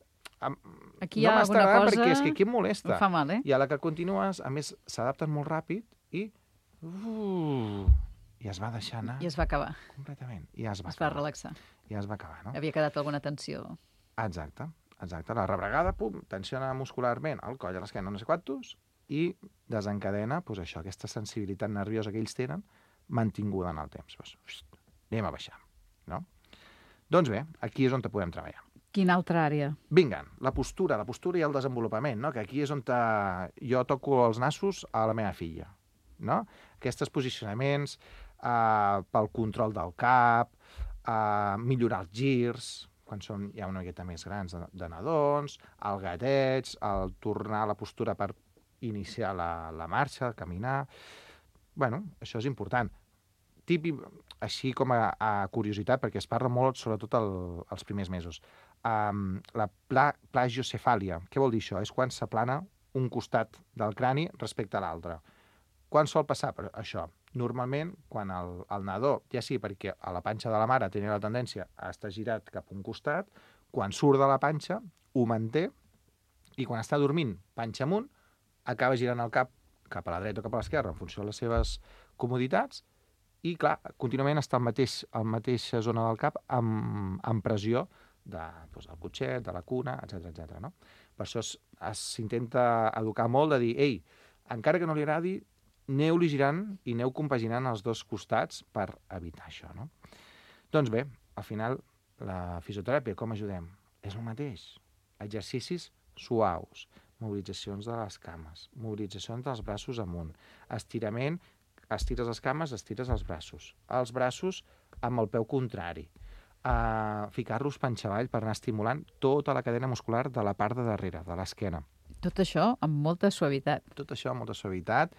aquí hi ha no alguna cosa... perquè és que aquí em molesta. Em fa mal, eh? I a la que continues, a més, s'adapten molt ràpid i... Uh, i es va deixar anar... I es va acabar. Completament. I ja es va es acabar. va relaxar. I ja es va acabar, no? Havia quedat alguna tensió. Exacte. Exacte, la rebregada, pum, tensiona muscularment el coll a l'esquena, no sé quantos, i desencadena, doncs això, aquesta sensibilitat nerviosa que ells tenen, mantinguda en el temps. Pues, ust, anem a baixar, no? Doncs bé, aquí és on te podem treballar. Quina altra àrea? Vinga, la postura, la postura i el desenvolupament, no? Que aquí és on te... jo toco els nassos a la meva filla, no? Aquests posicionaments eh, pel control del cap, eh, millorar els girs, quan són ja una miqueta més grans de, de nadons, el gateig, el tornar a la postura per iniciar la, la marxa, caminar... bueno, això és important. Típic, així com a, a curiositat, perquè es parla molt, sobretot el, els primers mesos. Um, la pla, plagiocefàlia, què vol dir això? És quan s'aplana un costat del crani respecte a l'altre. Quan sol passar per això? Normalment, quan el, el nadó, ja sí, perquè a la panxa de la mare tenia la tendència a estar girat cap a un costat, quan surt de la panxa, ho manté, i quan està dormint panxa amunt, acaba girant el cap cap a la dreta o cap a l'esquerra, en funció de les seves comoditats, i, clar, contínuament està al mateix, a la mateixa zona del cap amb, amb pressió de, doncs, del cotxet, de la cuna, etcètera, etcètera, no? Per això s'intenta educar molt de dir, ei, encara que no li agradi, aneu-li girant i aneu compaginant els dos costats per evitar això, no? Doncs bé, al final, la fisioteràpia, com ajudem? És el mateix. Exercicis suaus, mobilitzacions de les cames, mobilitzacions dels braços amunt, estirament, estires les cames, estires els braços, els braços amb el peu contrari, uh, ficar-los panxa avall per anar estimulant tota la cadena muscular de la part de darrere, de l'esquena. Tot això amb molta suavitat. Tot això amb molta suavitat,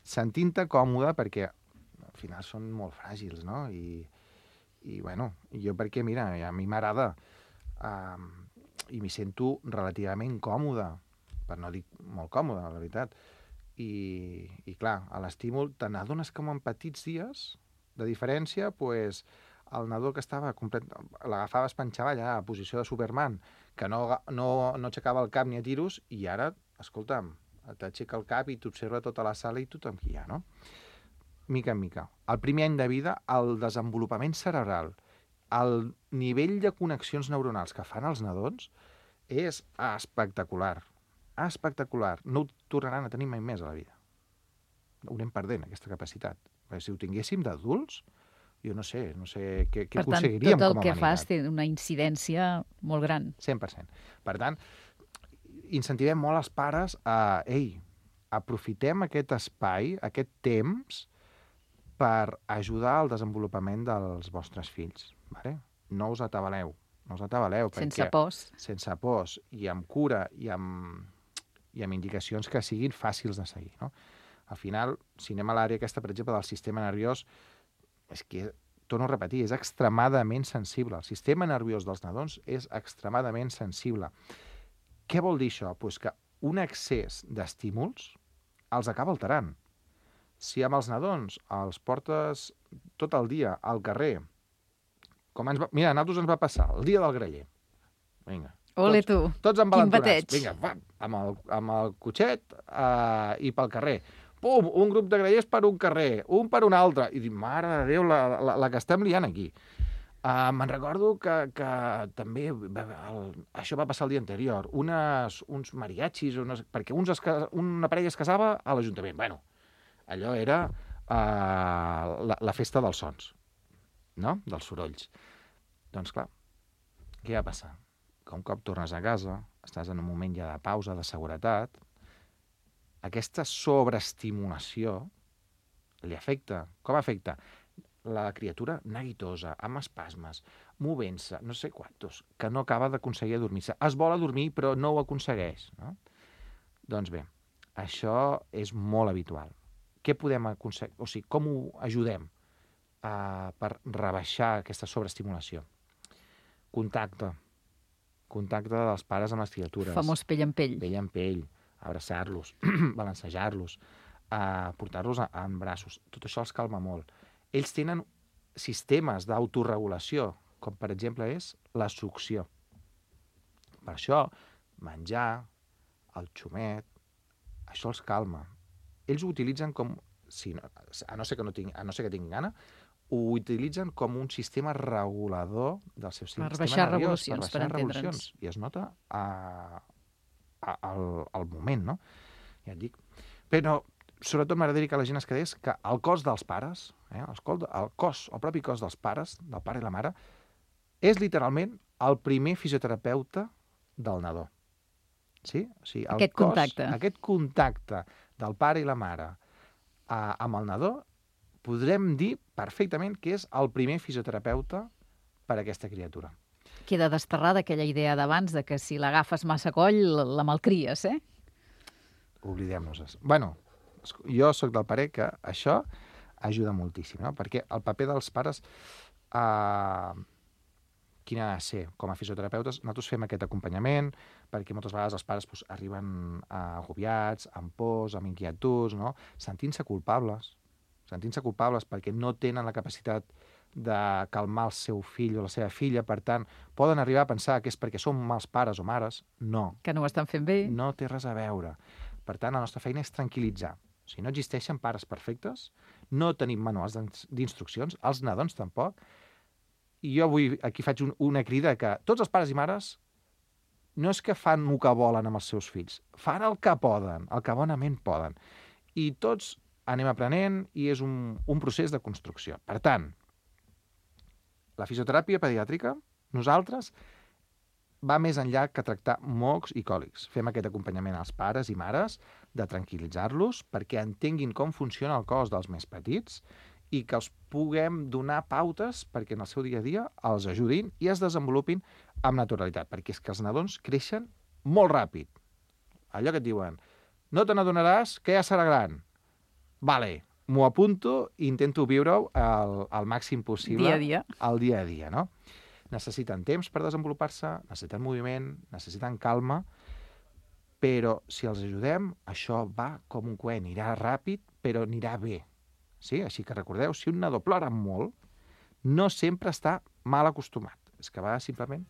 sentint-te còmode, perquè al final són molt fràgils, no? I, i bueno, jo perquè, mira, a mi m'agrada uh, i m'hi sento relativament còmode, per no dir molt còmode, la veritat. I, i clar, a l'estímul te n'adones com en petits dies de diferència, pues, el nadó que estava complet, l'agafaves panxa avall, a posició de Superman, que no, no, no aixecava el cap ni a tiros, i ara, escolta'm, t'aixeca el cap i t'observa tota la sala i tothom que hi ha, no? Mica en mica. El primer any de vida, el desenvolupament cerebral, el nivell de connexions neuronals que fan els nadons és espectacular. Espectacular. No ho tornaran a tenir mai més a la vida. Ho anem perdent, aquesta capacitat. Perquè si ho tinguéssim d'adults, jo no sé, no sé què, què aconseguiríem com a humanitat. Per tant, tot el que fas té una incidència molt gran. cent per cent. Per tant, incentivem molt els pares a, ei, aprofitem aquest espai, aquest temps, per ajudar al desenvolupament dels vostres fills. Vale? No us atabaleu. No us atabaleu. Sense perquè, pors. Sense pors, i amb cura, i amb, i amb indicacions que siguin fàcils de seguir. No? Al final, si anem a l'àrea aquesta, per exemple, del sistema nerviós, és que, torno a repetir, és extremadament sensible. El sistema nerviós dels nadons és extremadament sensible. Què vol dir això? Pues que un excés d'estímuls els acaba alterant. Si amb els nadons els portes tot el dia al carrer, com ens va... Mira, a nosaltres ens va passar el dia del graller. Vinga. Ole, tu. Tots, tots embalentonats. Vinga, va, amb el, amb el cotxet uh, i pel carrer. Pum, un grup de grallers per un carrer, un per un altre. I dic, mare de Déu, la, la, la que estem liant aquí. Uh, me'n recordo que, que també el, això va passar el dia anterior. Unes, uns mariachis, unes, perquè uns es, una parella es casava a l'Ajuntament. Bueno, allò era uh, la, la festa dels sons, no? Dels sorolls. Doncs clar, què va passar? Que un cop tornes a casa, estàs en un moment ja de pausa, de seguretat, aquesta sobreestimulació li afecta. Com afecta? La criatura neguitosa, amb espasmes, movent-se, no sé quantos, que no acaba d'aconseguir adormir-se. Es vol adormir, però no ho aconsegueix. No? Doncs bé, això és molt habitual. Què podem aconseguir? O sigui, com ho ajudem uh, per rebaixar aquesta sobreestimulació? Contacte. Contacte dels pares amb les criatures. Famós pell en pell. Pell en pell. Abraçar-los, balancejar-los, uh, portar-los en braços. Tot això els calma molt. Ells tenen sistemes d'autoregulació, com per exemple és la succió. Per això, menjar, el xumet, això els calma. Ells ho utilitzen com, si no, a, no ser que no tinc, a no ser que tinguin gana, ho utilitzen com un sistema regulador del seu sistema nerviós. Per baixar revolucions, per entendre'ns. I es nota a, a, al, al moment, no? Ja et dic. Però, sobretot, m'agradaria que la gent es quedés que el cos dels pares, eh, el, cos, el cos, el propi cos dels pares, del pare i la mare, és literalment el primer fisioterapeuta del nadó. Sí? O sigui, el aquest cos, contacte. Aquest contacte del pare i la mare eh, amb el nadó, podrem dir perfectament que és el primer fisioterapeuta per a aquesta criatura. Queda desterrada aquella idea d'abans de que si l'agafes massa coll, la malcries, eh? Oblidem-nos-es. Bueno, jo sóc del parer que això ajuda moltíssim, no? Perquè el paper dels pares, eh, quin ha de ser? Com a fisioterapeutes, nosaltres fem aquest acompanyament, perquè moltes vegades els pares doncs, arriben eh, agobiats, amb pors, amb inquietuds, no? Sentint-se culpables, sentint-se culpables perquè no tenen la capacitat de calmar el seu fill o la seva filla, per tant, poden arribar a pensar que és perquè són mals pares o mares. No. Que no ho estan fent bé. No té res a veure. Per tant, la nostra feina és tranquil·litzar. O sigui, no existeixen pares perfectes, no tenim manuals d'instruccions, els nadons tampoc, i jo avui aquí faig un, una crida que tots els pares i mares no és que fan el que volen amb els seus fills, fan el que poden, el que bonament poden. I tots anem aprenent i és un, un procés de construcció. Per tant, la fisioteràpia pediàtrica, nosaltres, va més enllà que tractar mocs i còlics. Fem aquest acompanyament als pares i mares de tranquil·litzar-los perquè entenguin com funciona el cos dels més petits i que els puguem donar pautes perquè en el seu dia a dia els ajudin i es desenvolupin amb naturalitat, perquè és que els nadons creixen molt ràpid. Allò que et diuen, no te n'adonaràs que ja serà gran. Vale, m'ho apunto i intento viure-ho al, al màxim possible. Dia a dia. Al dia a dia, no? Necessiten temps per desenvolupar-se, necessiten moviment, necessiten calma, però si els ajudem, això va com un coet, anirà ràpid, però anirà bé. Sí? Així que recordeu, si un nadó plora molt, no sempre està mal acostumat. És que va simplement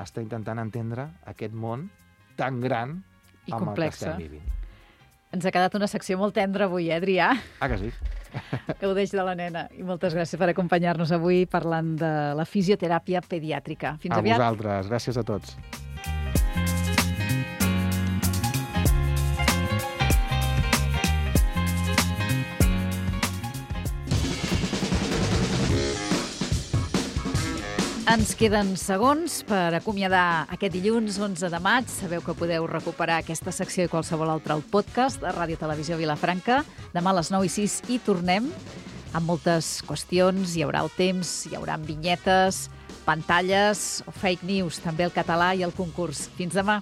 està intentant entendre aquest món tan gran I amb complexa. el que estem vivint. Ens ha quedat una secció molt tendra avui, eh, Adrià? Ah, que sí? Gaudeix de la nena. I moltes gràcies per acompanyar-nos avui parlant de la fisioteràpia pediàtrica. Fins a aviat. A vosaltres. Gràcies a tots. Ens queden segons per acomiadar aquest dilluns onze de maig. Sabeu que podeu recuperar aquesta secció i qualsevol altra al podcast de Ràdio Televisió Vilafranca. Demà a les nou i sis hi tornem amb moltes qüestions. Hi haurà el temps, hi haurà vinyetes, pantalles o fake news, també el català i el concurs. Fins demà.